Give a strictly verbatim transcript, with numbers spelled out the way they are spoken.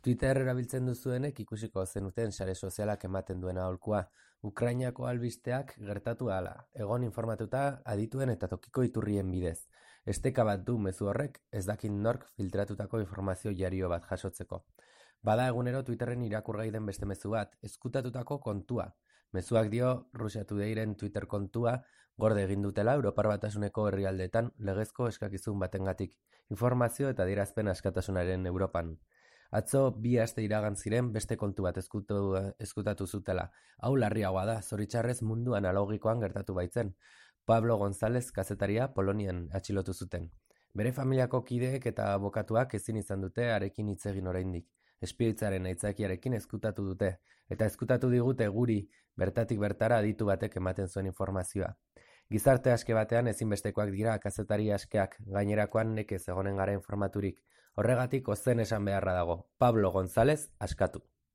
Twitter erabiltzen duzuenek ikusiko zenuten sare sozialak ematen duen aholkua. Ukrainako albisteak gertatu ahala, egon informatuta adituen eta tokiko iturrien bidez. Esteka bat du mezu horrek, ez dakit nork filtratutako informazio jario bat jasotzeko. Bada egunero Twitterren irakurgai den beste mezu bat, ezkutatutako kontua. Mezuak dio Russia Todayren Twitter kontua gorde egin dutela Europar Batasuneko herrialdeetan legezko eskakizun batengatik, informazio eta adierazpen askatasunaren Europan. Atzo bi aste iragan ziren beste kontu bat ezkutu, ezkutatu zutela. Hau larriagoa da, zoritxarrez mundu analogikoan gertatu baitzen. Pablo González kazetaria Polonian atxilotu zuten. Bere familiako kideek eta abokatuak ezin izan dute harekin hitz egin oraindik. Espioitzaren aitzakiarekin ezkutatu dute, eta ezkutatu digute guri bertatik bertara aditu batek ematen zuen informazioa. Gizarte aske batean ezinbestekoak dira kazetari askeak, gainerakoan nekez egonen gara informaturik. Horregatik ozen esan beharra dago. Pablo González askatu.